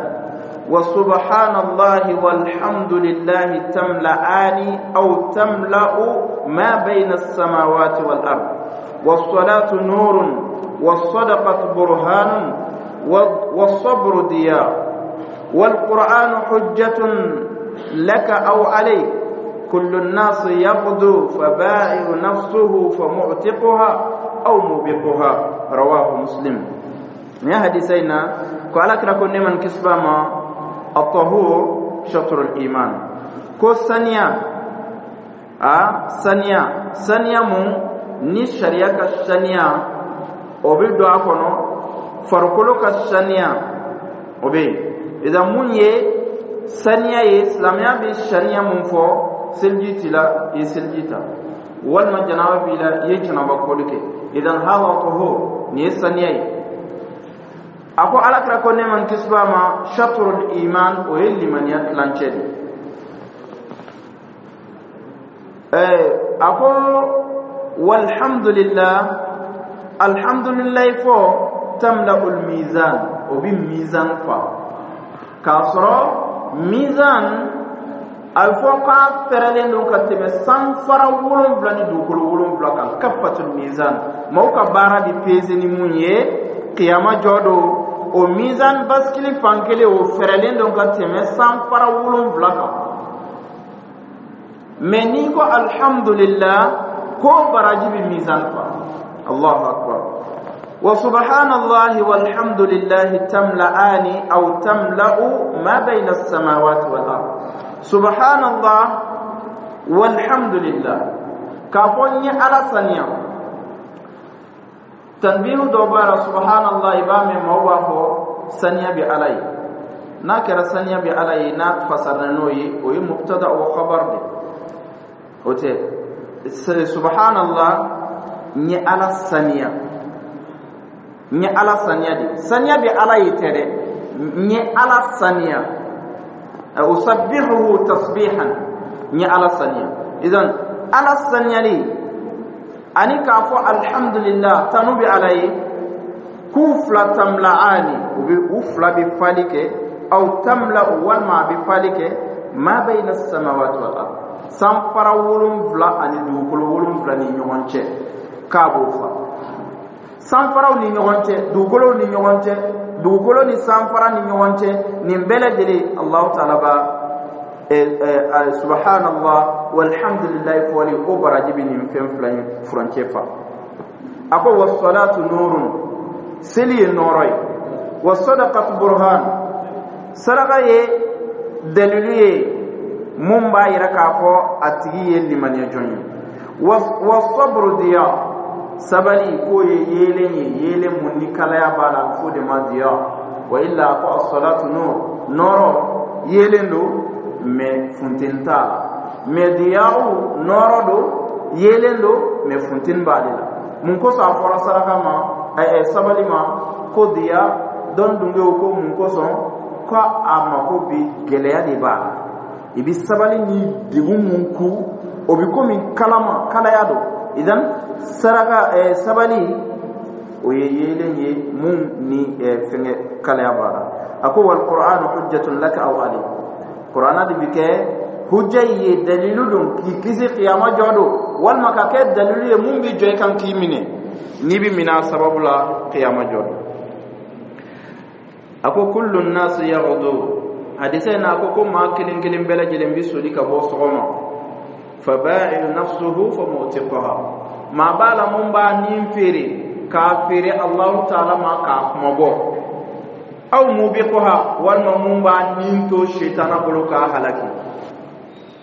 وسبحان الله والحمد لله تملأان أو تملأ ما بين السماوات والأرض، والصلاة نور، والصدقة برهان، والصبر ضياء، والقرآن حجة لك أو عليك، كل الناس يغدو فبائع نفسه فمعتقها أو موبقها. رواه مسلم. Ni hadisayna ko ala kira ko neman kisbama: الطهور شطر الإيمان. Ko saniya, a saniya, saniya mun ni sariya ka saniya, o bɛ don a kɔnɔ. Farikolo ka saniya, o bɛ yen. Idan mun ye saniya ye? Silamɛya bɛ saniya mun fɔ? Seliji t'i la, i ye seliji ta, walima janaba b'i la, i ye janaba kɔli kɛ. Idan hada tahur, nin ye saniya ye. A ko ala kira ko nɛɛma ni kisi b'a ma: shatrul iman, o ye limaniya tilancɛ de. A ko walhamdulillah, alhamdulillah fɔ, tamla'ul mizan, o bi mizan fa, k'a sɔrɔ mizan a bɛ fɔ k'a fɛrɛlen don ka tɛmɛ sanfara 7 ni dugukolo 7 kan. Kafatul mizan, maaw ka baara bɛ peze ni mun ye kiyama jɔ don, o mizan basikili fan kelen, o fɛrɛlen don ka tɛmɛ sanfara 7 kan. Mɛ n'i ko alhamdulillah, ko baraji bɛ mizan fa. Allahu akbar. Wa subhanallahi walhamdulillahi tamla'ani aw tamla'u ma bayna as-samawati wal ard. Subhanallah walhamdulillah, k'a fɔ n ye Ala saniya. Tanbihu dɔ b'a la. Subhanallah, i b'a mɛn maaw b'a fɔ saniya bɛ Ala ye. N'a kɛra saniya bɛ Ala ye, n'a fasara n'o ye, o ye mubtada wa khabar de. O tɛ subhanallah, n ye Ala saniya, n ye Ala saniya de. Saniya bɛ Ala ye tɛ dɛ, n ye Ala saniya. Usabbihuhu tasbihan, n ye Ala saniya. Idan Ala saniyali ani k'a fɔ alhamdulillah, tanu bɛ Ala ye, k'u fila tamla'ani, u bɛ u fila bɛ fali kɛ, aw tamla, walima a bɛ fali kɛ, ma bayna samawati wal ard, sanfara 7 ani dugukolo 7 ni ɲɔgɔn cɛ, k'a b'o fa. Sanfaraw ni ɲɔgɔn cɛ, dugukolow ni ɲɔgɔn cɛ, dugukolo ni sanfara ni ɲɔgɔn cɛ, nin bɛɛ lajɛlen, Allahu taala ba subhanallah walhamdulillah fɔli, o baraji bɛ nin fɛn fila in furancɛ fa. A ko wassalatu nurun, seli ye nɔɔrɔ ye, wasadaqatu burhan, saraka ye dalilu ye mun b'a yira k'a fɔ a tigi ye limaniya jɔn ye, wasabru diya, sabali k'o ye yeelen ye, yeelen mun ni kalaya b'a la, a bɛ f'o de ma diya. Wa illa ko as-salatu nur, nɔɔrɔ yeelen don mɛ funteni t'a la, mɛ diyaw nɔɔrɔ don, yeelen don mɛ funteni b'ale la. Mun kosɔn a fɔra saraka ma, sabali ma ko diya? Dɔn dungew ko mun kosɔn? Ko a mako bi gɛlɛya de b'a la. I bi sabali ni degun mun ku, o bi komi kalama kalaya don. Idan saraka, sabali, o ye yeelen ye mun ni fɛngɛ kalaya b'a la. A ko wal qur'anu hujjatun laka aw alayk, qur'ana de bi kɛ hujja ye, dalilu don k'i kisi kiyama jɔ don, walima ka kɛ dalilu ye mun bi jɔ i kan k'i minɛ, n'i bi minɛ a sababu la kiyama jɔ don. A ko kullu nasi yaghdu. Hadisa in na, a ko ko maa kelen kelen bɛɛ lajɛlen bɛ soli ka bɔ sɔgɔma, faba'i'u nafsuhu fa mu'tiqaha, maa b'a la mun b'a nin feere, k'a feere Allahu taala ma k'a kumabɔ, aw mubiquha, walima mun b'a nin to setana bolo k'a halaki.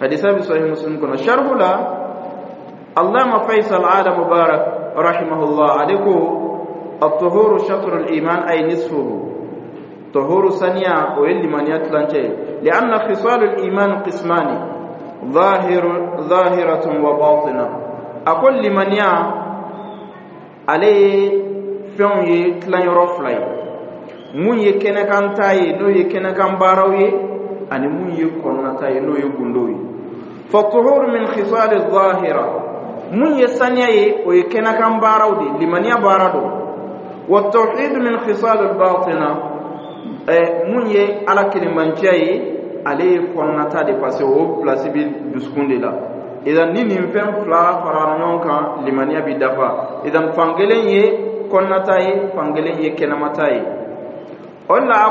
Hadisa bɛ Sahih Muslim kɔnɔ. Sharhu la, Allama Faisal Ala Mubarak rahimahullah, ale ko: الطهور شطر الإيمان أي نصفه. طهور saniya, o ye limaniya tilancɛ ye. لأن خصال الإيمان قسمان، ظاهر ظاهرة وباطنة. A ko limaniya, ale ye fɛnw ye tilanyɔrɔ fila ye: mun ye kɛnɛkan ta ye, n'o ye kɛnɛkan baaraw ye, ani mun ye kɔnɔnata ye, n'o ye gundow ye. فالطهور من خصال الظاهرة. Mun ye saniya ye, o ye kɛnɛkan baaraw de, limaniya baara don. والتوحيد من خصال الباطنة. Mun ye Ala kelenbanciya ye, ale ye kɔnɔnata de, parce que o place bi dusukun de la. Idan ni nin fɛn fila fara ɲɔgɔn kan, limaniya bi dafa. Idan fankelen ye kɔnɔnata ye, fankelen ye kɛnɛmata ye. O de la,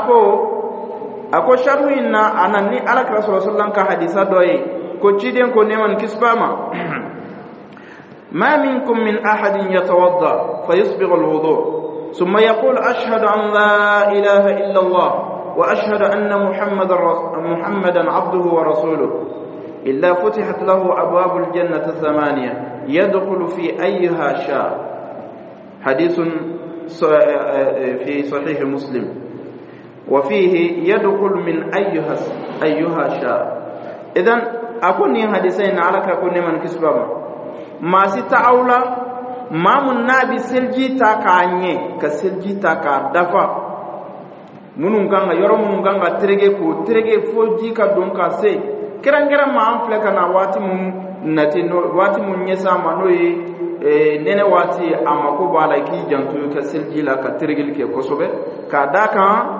a ko sharhu in na, a na ni Ala kira sɔrɔ sallam ka hadisa dɔ ye, ko ciden ko, nɛɛma ni kisi b'a ma: ما منكم من أحد يتوضأ فيسبغ الوضوء ثم يقول أشهد أن لا إله إلا الله وأشهد أن محمدا عبده ورسوله إلا فتحت له أبواب الجنة الثمانية يدخل في أيها شاء. حديث في صحيح مسلم، وفيه يدخل من أيها شاء. إذن أكون حديثين على كون من كسبما maa si tɛ aw la, maa mun n'a bɛ seliji ta k'a ɲɛ, ka seliji ta k'a dafa, minnu kan ka yɔrɔ minnu kan ka tereke, k'o tereke fo ji ka don ka se. Kɛrɛnkɛrɛn ma, an filɛ ka na waati mun nati, waati mun ɲɛsin a ma, n'o ye nɛnɛ waati ye, a mako b'a la i k'i janto i ka seliji la, ka terekeli kɛ kosɛbɛ, k'a d'a kan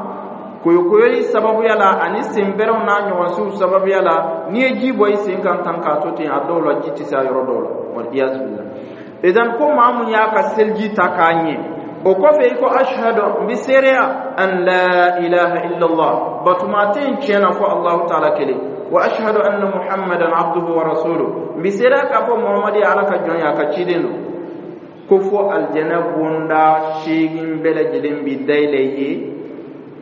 koyokoyoli sababuya la ani senbɛrɛw n'a ɲɔgɔnsiw sababuya la, n'i ye ji bɔ i sen kan tan k'a to ten, a dɔw la ji tɛ se a yɔrɔ dɔw la, wal billah. Idan ko maa mun y'a ka seliji ta k'a ɲɛ, o kɔfɛ i ko ashhadu, n bɛ seereya, an la ilaha illallah, batuma tɛ yen tiɲɛ na fɔ Allahu taala kelen, wa ashhadu anna Muhammadan abduhu wa rasuluhu, n bɛ seereya k'a fɔ Muhammadu ye Ala ka jɔn ye, a ka ciden don, ko fo alijɛnɛ bonda seegin bɛɛ lajɛlen bi dayɛlɛ i ye,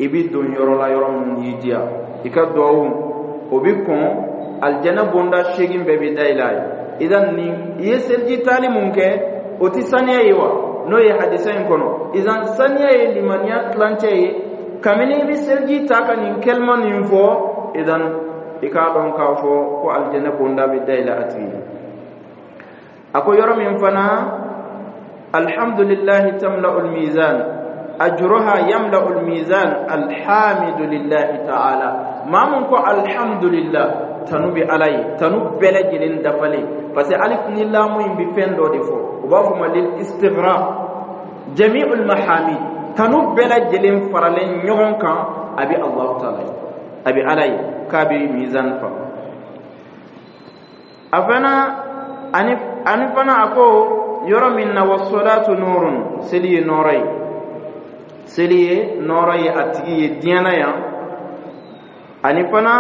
i bi don yɔrɔ la yɔrɔ min y'i diya, i ka duwawu o bi kɔn, alijɛnɛ bonda seegin bɛɛ bi dayɛlɛ a ye. Idan ni i ye seliji taali mun kɛ, o ti saniya ye wa? N'o ye hadisa in kɔnɔ. Idan saniya ye limaniya tilancɛ ye. Kabini i bɛ seliji ta ka nin kɛlima nin fɔ, idan i k'a dɔn k'a fɔ ko alijɛnɛ bonda bɛ dayɛlɛ a tigi ye. A ko yɔrɔ min fana: alhamdulillahi tamla'ul mizan ajruha yamla'ul mizan alhamdulillahi ta'ala. Maa mun ko alhamdulillah, tanu bɛ Ala ye, tanu bɛɛ lajɛlen dafalen, parce que alif ni lamu in bɛ fɛn dɔ de fɔ, u b'a fɔ ma lil istighraq jami'ul mahamid, tanu bɛɛ lajɛlen faralen ɲɔgɔn kan, a bɛ Allahu taala ye, a bɛ Ala ye, k'a bɛ mizan fa. A fana ani fana, a ko yɔrɔ min na: wasolatu nurun, seli ye nɔɔrɔ ye, seli ye nɔɔrɔ ye a tigi ye diɲɛ na yan, ani fana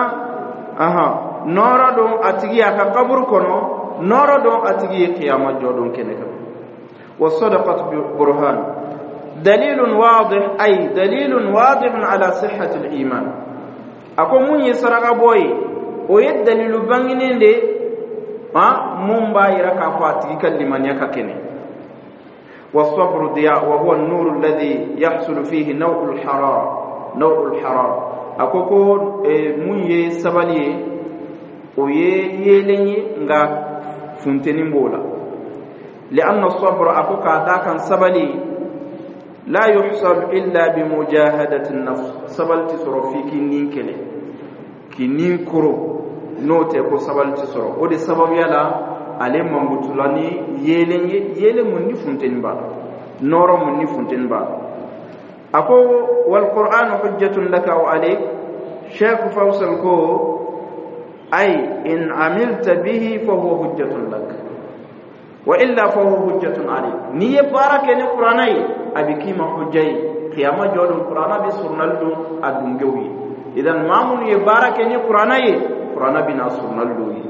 ahan nɔɔrɔ don a tigi ye a ka kaburu kɔnɔ, nɔɔrɔ don a tigi ye kiyama jɔ don kɛnɛ kan. والصدقة برهان دليل واضح أي دليل واضح على صحة الإيمان. A ko mun ye saraka bɔ ye, o ye dalilu bangenen de ha mun b'a yira k'a fɔ a tigi ka limaniya ka kɛnɛ. والصبر ضياء وهو النور الذي يحصل فيه نوع الحرارة، نوع الحرارة. A ko ko mun ye sabali ye, o ye yeelen ye, nka funteni b'o la. لأن الصبر, a ko k'a da kan sabali, لا يحصل إلا بمجاهدة النفس. Sabali tɛ sɔrɔ f'i k'i nin kɛlɛ, k'i nin koro, n'o tɛ ko sabali tɛ sɔrɔ. O de sababuya la, ale mankutula ni yeelen ye, yeelen mun ni funteni b'a la, nɔɔrɔ mun ni funteni b'a la. A ko والقرآن حجة لك أو عليك. Sheikh Faisal ko: أي إن عملت به فهو حجة لك وإلا فهو حجة عليك. N'i ye baara kɛ ni Kuranɛ ye, a bɛ k'i ma hujja ye kiyama jɔ don. Kuranɛ bɛ surunali don a dungew ye. Idan maa minnu ye baara kɛ ni Kuranna ye, Kuranna bɛna surunali dɔw ye.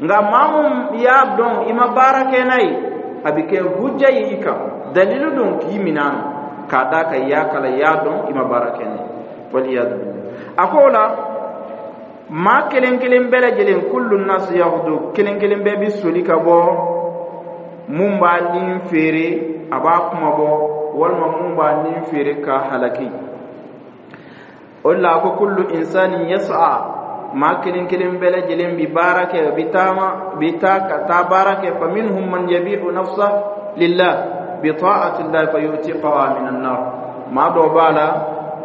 Nka maa mun y'a dɔn, i ma baara kɛ n'a ye, a bɛ kɛ hujja ye i kan, dalilu don k'i minɛ a ma, k'a d'a kan i y'a kalan, i y'a dɔn, i ma baara kɛ n'a ye. Waliyadu billah. A ko o la, maa kelen kelen bɛɛ lajɛlen, kullu nasi yaghdu, kelen kelen bɛɛ bɛ soli ka bɔ mun b'a ni feere, a b'a kuma bɔ, walima mun b'a ni feere k'a halaki. O de la a ko kullu insani yas'a, maa kelen kelen bɛɛ lajɛlen bi baara kɛ, bi taama, bi taa ka taa baara kɛ. Fa minhum man yabi'u nafsa lillah bi ta'ati llah fa yu'tiqaha min an-nar. Maa dɔw b'a la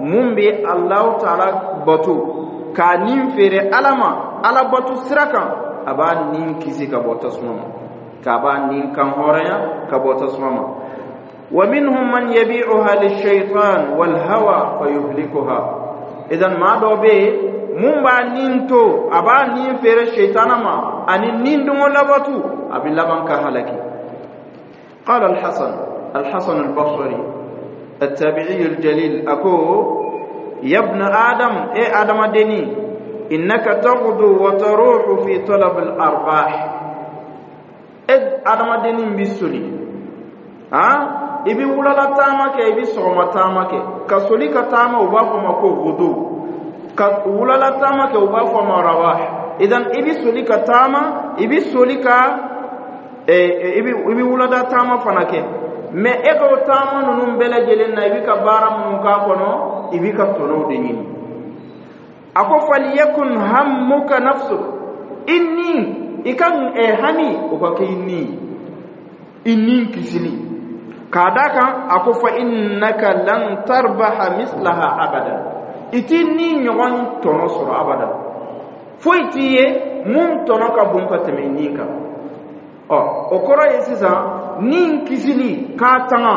mun bɛ Alahu taala bato k'a nin feere Ala ma, Ala bato sira kan, a b'a nin kisi ka bɔ tasuma ma, k'a b'a nin kan hɔrɔnya ka bɔ tasuma ma. Wa minhum man yabi'uha lishaytan wal hawa fayuhlikuha. Idan maa dɔ bɛ yen mun b'a nin to, a b'a nin feere seytana ma ani nin dungɔ labatu, a bɛ laban ka halaki. قال الحسن، الحسن البصري التابعي الجليل، أكو يا ابن آدم، إيه آدم دني، إنك تغدو وتروح في طلب الأرباح. إد آدم دني بسولي ها i bɛ wulala taama kɛ, i bɛ sɔgɔma taama kɛ. Ka soli ka taama, u b'a fɔ ma ko gudu. Ka wulala taama kɛ, u b'a fɔ ma rawah. Idan i bɛ soli ka taama, i bɛ soli ka i bɛ wulada taama fana kɛ. Mɛ e ka o taama ninnu bɛɛ lajɛlen na, i bɛ ka baara minnu k'a kɔnɔ, i bɛ ka tɔnɔw de ɲini. A ko faliyakun hammuka nafsuk, i ni i ka hami, o ka kɛ i ni, i ni kisili. K'a da kan a ko fa innaka lan tarbaha mislaha abada, i t'i ni ɲɔgɔn tɔnɔ sɔrɔ abada. Foyi t'i ye mun tɔnɔ ka bon ka tɛmɛ i ni kan. Ɔ, o kɔrɔ ye sisan, ni kisili k'a tanga,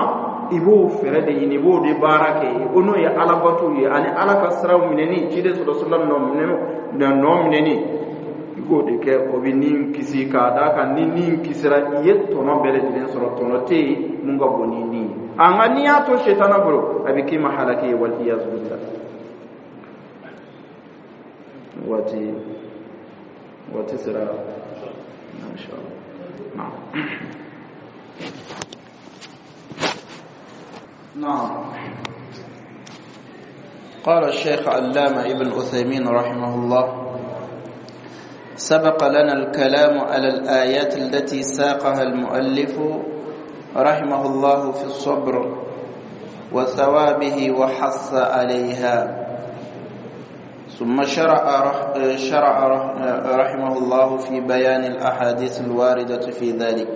i b'o fɛɛrɛ de ɲini, i b'o de baara kɛ. O n'o ye Alabato ye ani Ala ka siraw minɛni, ciden sɔrɔ sɔrɔ nɔ minɛni, i k'o de kɛ, o bɛ ni kisi. K'a d'a kan ni ni kisira, i ye tɔnɔ bɛɛ lajɛlen sɔrɔ. Tɔnɔ tɛ yen mun ka bon ni ni ye. A nka n'i y'a to setana bolo, a bɛ k'i ma halaki ye. Wal iyazu billah. Waati sera, insha Allah. نعم نعم. قال الشيخ علامة ابن عثيمين رحمه الله: سبق لنا الكلام على الآيات التي ساقها المؤلف رحمه الله في الصبر وثوابه وحث عليها، ثم شرع رحمه الله في بيان الأحاديث الواردة في ذلك.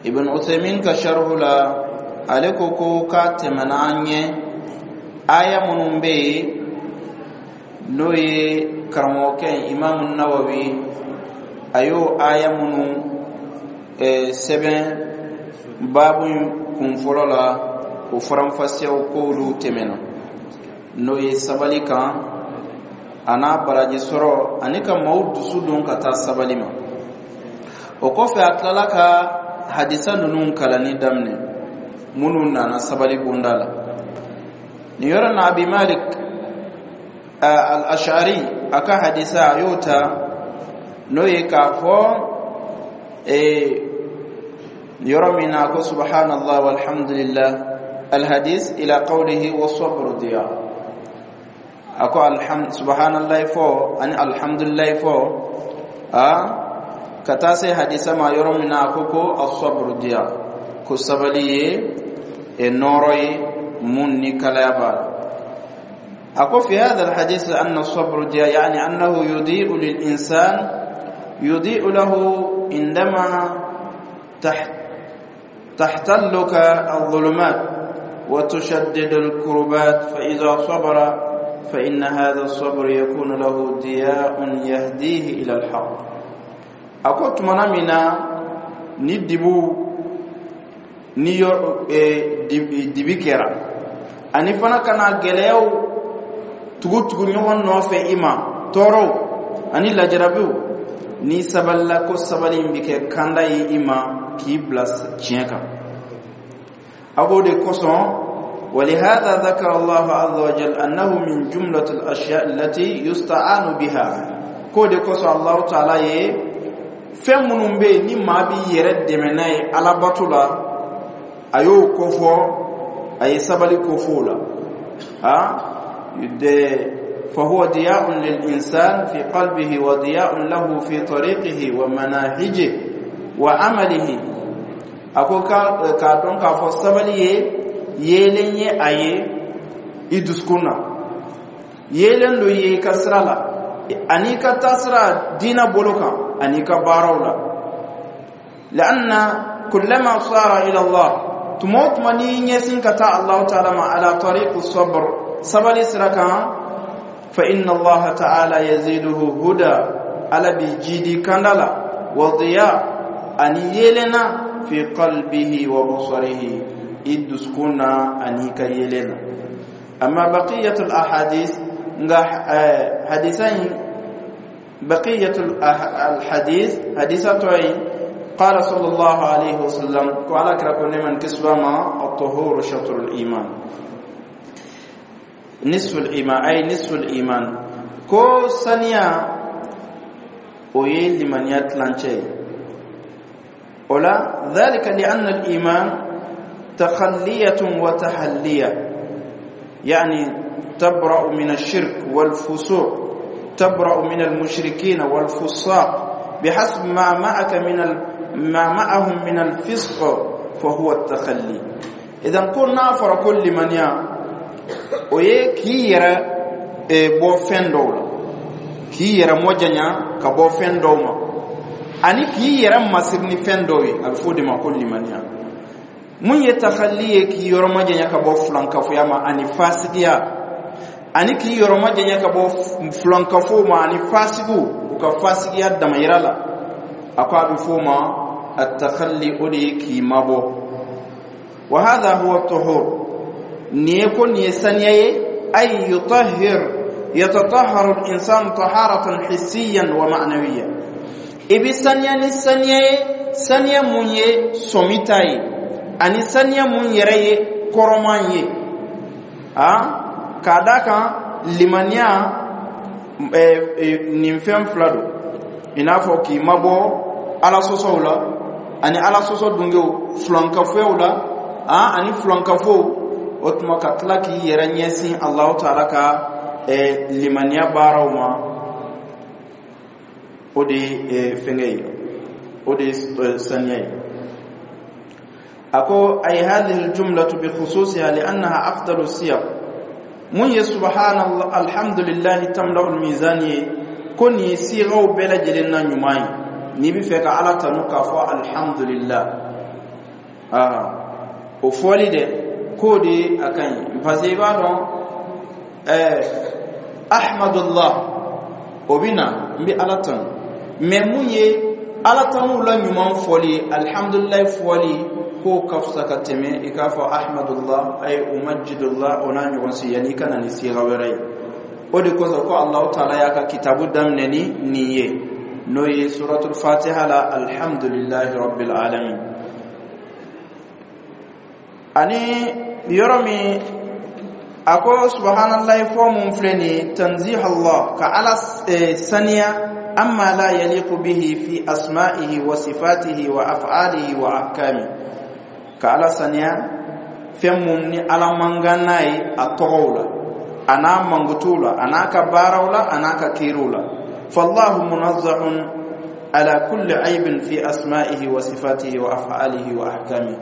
Ibn Uthaymin ka sharhu la, ale ko ko k'a tɛmɛna an ɲɛ aya minnu bɛ yen, n'o ye karamɔgɔkɛ Imamu Nawawi, a y'o aya minnu sɛbɛn baabu kun fɔlɔ la, o faranfasiyaw k'olu tɛmɛna, n'o ye sabali kan a n'a baraji sɔrɔ ani ka maaw dusu don ka taa sabali ma. O kɔfɛ, a tilala ka hadisa ninnu kalanni daminɛ minnu nana sabali bonda la. Nin yɔrɔ na, Abi Malik al-Ash'ari a ka hadisa, a y'o ta, n'o ye k'a fɔ yɔrɔ min na ko subhanallah walhamdulillah, alhadis ila qawlihi wasabru diya. A ko subhanallah fɔ ani alhamdulillah fɔ, a ka taa se hadisa ma yɔrɔ min na a ko ko asabru diya, ko sabali ye nɔɔrɔ ye mun ni kalaya b'a la. A ko fi hadha alhadith anna asabru diya, yani annahu yudi'u lil insan, yudi'u lahu indama تحتلك الظلمات وتشدد الكربات، فإذا صبر فإن هذا الصبر يكون له ضياء يهديه إلى الحق. A ko tumana min na ni dibu ni yɔrɔ dibi kɛra, ani fana ka na gɛlɛyaw tugu tugu ɲɔgɔn nɔfɛ i ma, tɔɔrɔw ani lajarabiw, n'i sabalila, ko sabali in bɛ kɛ kanda ye i ma k'i bila tiɲɛ kan. A k'o de kosɔn ولهذا ذكر الله عز وجل أنه من جملة الأشياء التي يستعان بها. K'o de kosɔn Allahu Taala ye fɛn minnu bɛ yen ni maa b'i yɛrɛ dɛmɛ n'a ye alabato la, a y'o kofɔ, a ye sabali kofɔ o la. De فهو ضياء للإنسان في قلبه وضياء له في طريقه ومناهجه وعمله. A ko k'a dɔn k'a fɔ sabali ye yeelen ye a ye i dusukun na, yeelen dɔ ye i ka sira la ani ka taasira diina bolo kan ani ka baaraw la. لأن كلما صار إلى الله, tuma o tuma n'i ɲɛsin ka taa Allahu Taala ma, على طريق الصبر, sabali sira kan, فإن الله تعالى يزيده هدى, Ala b'i jidi kanda la, وضياء, ani yeelen na, في قلبه وبصره, i dusukun na ani ka yeelen na. أما بقية الأحاديث, nka hadisa in, بقية الحديث, hadisa tɔ ye, قال صلى الله عليه وسلم, ko Ala kira ko nɛɛma ni kisi b'a ma, الطهور شطر الإيمان, نصف الإيمان, أي نصف الإيمان. Ko saniya o ye limaniya tilancɛ ye. O la, ذلك لأن الإيمان تخلية وتحلية, يعني تبرأ من الشرك والفسوق, تبرأ من المشركين والفساق بحسب ما معك من ما معهم من الفسق, فهو التخلي. إذا كنا فرق limaniya o ye k'i yɛrɛ bɔ fɛn dɔw la, k'i yɛrɛ mɔjanya ka bɔ fɛn dɔw ma, ani k'i yɛrɛ masiri ni fɛn dɔw ye. A bɛ fɔ o de ma ko limaniya. Mun ye takalli ye? K'i yɔrɔ majanya ka bɔ filankafoya ma ani fasigiya, ani k'i yɔrɔ majanya ka bɔ filankafow ma ani fasigiw u ka fasigiya damayira la. A ko a bɛ fɔ o ma atakalli, o de ye k'i mabɔ. وهذا هو الطهور, nin ye ko nin ye saniya ye, أي يطهر, يتطهر الإنسان طهارة حسيا ومعنوية. I bɛ saniya ni saniya ye, saniya mun ye sɔmi ta ye ani saniya mun yɛrɛ ye kɔrɔman ye. A k'a da kan limaniya nin fɛn fila don, i n'a fɔ k'i mabɔ Ala sɔsɔw la ani Ala sɔsɔ dungew, filankafoyaw la ani filankafow. O tuma ka tila k'i yɛrɛ ɲɛsin Alahu Taala ka limaniya baaraw ma, o de ye fɛnkɛ ye, o de ye saniya ye. A ko أي هذه الجملة بخصوصها لأنها أفضل الصيغ. Mun ye سبحان الله الحمد لله تملأ الميزان ye, ko nin ye sigaw bɛɛ lajɛlen na ɲuman ye. N'i bɛ fɛ ka Ala tanu, k'a fɔ alhamdulillah, aa o fɔli dɛ, k'o de a ka ɲi, parce que i b'a dɔn أحمد الله, o bɛ na n bɛ Ala tanu, mais mun ye Ala tanu la ɲuman fɔli, alhamdulilayi fɔli, k'o ka fisa ka tɛmɛ i k'a fɔ أحمد الله أي أمجد الله, o n'a ɲɔgɔn si, yanni i ka na ni siga wɛrɛ ye. O de kosɔn ko Alahu Taala y'a ka kitabu daminɛ ni nin ye, n'o ye suratul Fatiha la, الحمد لله رب العالمين. Ani yɔrɔ min a ko subhanallahi fɔ mun filɛ nin ye, تنزيه الله, ka Ala saniya, عما لا يليق به في أسمائه وصفاته وأفعاله وأحكامه, ka Ala saniya fɛn mun ni Ala man kan n'a ye a tɔgɔw la, a n'a mankutuw la, a n'a ka baaraw la, a n'a ka kiiriw la. فالله منزه على كل عيب في أسمائه وصفاته وأفعاله وأحكامه.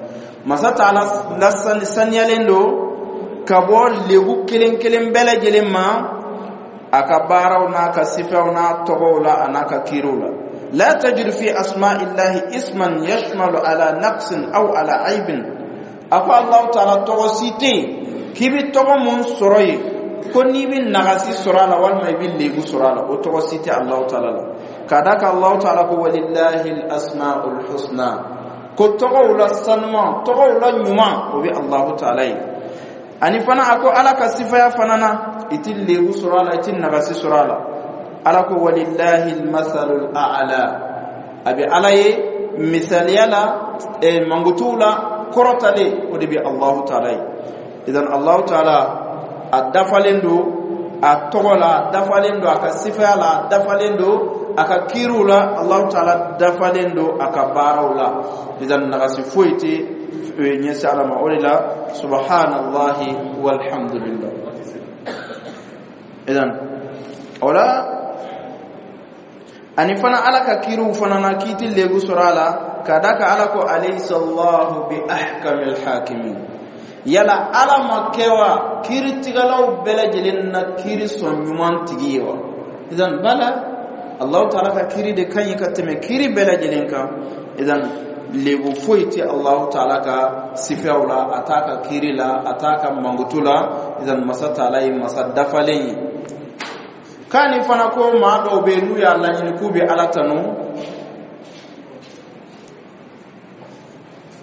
Masa Taala la saniyalen don ka bɔ lebu kelen kelen bɛɛ lajɛlen ma a ka baaraw n'a ka sifaw n'a tɔgɔw la, a n'a ka kiiriw la. لا تجد في أسماء الله اسما يشمل على نقص أو على عيب. A ko Allahu Taala tɔgɔ si tɛ yen k'i bɛ tɔgɔ mun sɔrɔ yen ko n'i bɛ nagasi sɔrɔ a la walima i bɛ lebu sɔrɔ a la, o tɔgɔ si tɛ Allahu Taala la. K'a d'a kan Allahu Taala ko ولله الأسماء الحسنى, ko tɔgɔw la sanuman, tɔgɔw la ɲuman, o bɛ Allahu Taala ye. Ani fana a ko Ala ka sifaya fana na, i ti lebu sɔrɔ a la, i ti nagasi sɔrɔ a la. Ala ko ولله المثل الأعلى, a bɛ Ala ye misaliya la, mankutuw la kɔrɔtalen, o de bɛ Allahu Taala ye. Idan Allahu taala a dafalen don a tɔgɔ la, a dafalen don a ka sifaya la, a dafalen don a ka kiiriw la, Allahu taala dafalen don a ka baaraw la. Idan nagasi foyi tɛ ɲɛsin Ala ma. O de la subhanallahi walhamdulillah. Idan o la, ani fana Ala ka kiiriw fana na k'i ti lebu sɔrɔ a la, ka da ka Ala ko alaysa Allahu bi ahkamil hakimin. Yala Ala ma kɛ wa kiiritigɛlaw bɛɛ lajɛlen na kiiri sɔn ɲuman tigi ye wa? Idan bala, Allahu taala ka kiiri de ka ɲi ka tɛmɛ kiiri bɛɛ lajɛlen kan. Idan lebu foyi tɛ Allahu taala ka sifaw la, a t'a ka kiiri la, a t'a ka mankutu la. Idan masa taala ye masa dafalen ye. K'a ni fana ko maa dɔw bɛ yen, n'u y'a laɲini k'u bɛ Ala tanu,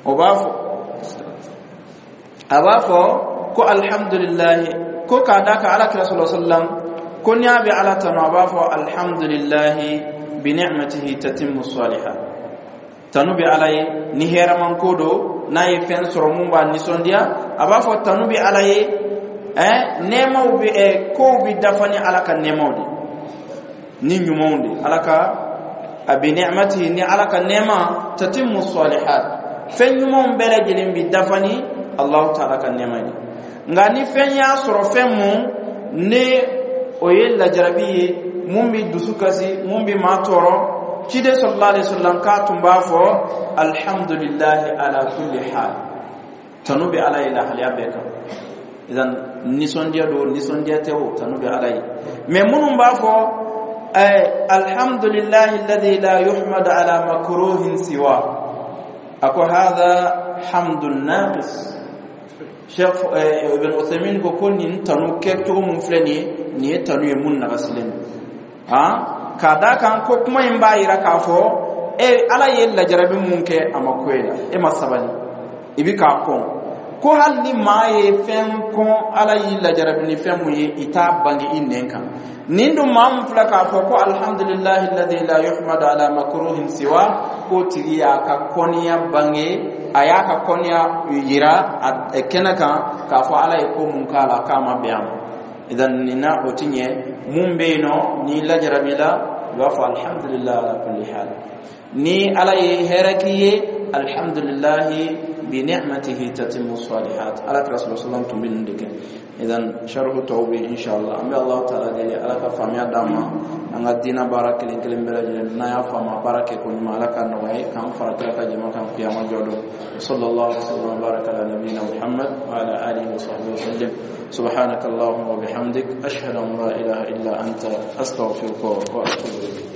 o b'a fɔ, a b'a fɔ ko alhamdulilahi, ko k'a d'a kan Ala kira sallallahu alaihi wasallam ko n'i y'a bɛ Ala tanu, a b'a fɔ alhamdulilahi bi ni'matihi tatimmu salihat. Tanu bɛ Ala ye ni hɛrɛman ko don, n'a ye fɛn sɔrɔ mun b'a nisɔndiya, a b'a fɔ tanu bɛ Ala ye. Nɛɛmaw bɛ, kow bɛ dafa ni Ala ka nɛɛmaw de ni ɲumanw de. Ala ka a bi ni'matihi, ni Ala ka nɛɛma, tatimmu salihat, fɛn ɲumanw bɛɛ lajɛlen bɛ dafa ni Allahu taala ka nɛɛma ye. Nka ni fɛn y'a sɔrɔ, fɛn mun ne o ye lajarabi ye, mun bɛ dusu kasi, mun bɛ maa tɔɔrɔ, ciden sallallahu alaihi wasallam k'a tun b'a fɔ alhamdulillahi ala kulli hal, tanu bɛ Ala ye lahalaya bɛɛ kan. Idan nisɔndiya don, nisɔndiya tɛ o, tanu bɛ Ala ye. Mɛ minnu b'a fɔ alhamdulillahi alladhi la yuhmad ala makruhin siwa, a ko hadha hamdun naqis. Cheikh Ibn Uthaymeen ko nin tanu kɛcogo mun filɛ nin ye, nin ye tanu ye mun nagasilen don. K'a d'a kan ko kuma in b'a yira k'a fɔ e Ala ye lajarabi mun kɛ, a ma ko e la, e ma sabali, i bi k'a kɔn. Ko hali ni maa ye fɛn kɔn, Ala y'i lajarabi ni fɛn mun ye, i t'a bange i nɛn kan. Nin dun maa mun filɛ k'a fɔ ko alhamdulillahi alladhi la yuhmadu ala makruhin siwa, k'o tigi y'a ka kɔniya bange, a y'a ka kɔniya yira a kɛnɛ kan k'a fɔ Ala ye ko mun k'a la, k'a ma bɛn a ma. Idan nin na o ti ɲɛ. Mun bɛ yen nɔ, n'i lajarabi la, i b'a fɔ alhamdulillahi ala kulli hal. Ni Ala ye hɛrɛ k'i ye, alhamdulillahi bi ni'matihi tatimmu salihat. Ala kira sallallahu alaihi wasallam tun bɛ nin de kɛ. Idan sharhu tɔw bɛ inshallah. An bɛ Allahu taala deli, Ala ka faamuya d'an ma an ka diinɛ baara kelen kelen bɛɛ lajɛlen n'an y'a faamu, a baara kɛ ko ɲuman, Ala ka nɔgɔya ye k'an fara kira ka jama kan kiyama jɔ don. Sallallahu alaihi wasallam wa baraka ala nabiyyina Muhammad wa ala alihi wa sahbihi wa sallam. Subhanaka allahumma wa bihamdik, ashhadu an la ilaha illa anta, astaghfiruka wa atubu ilayk.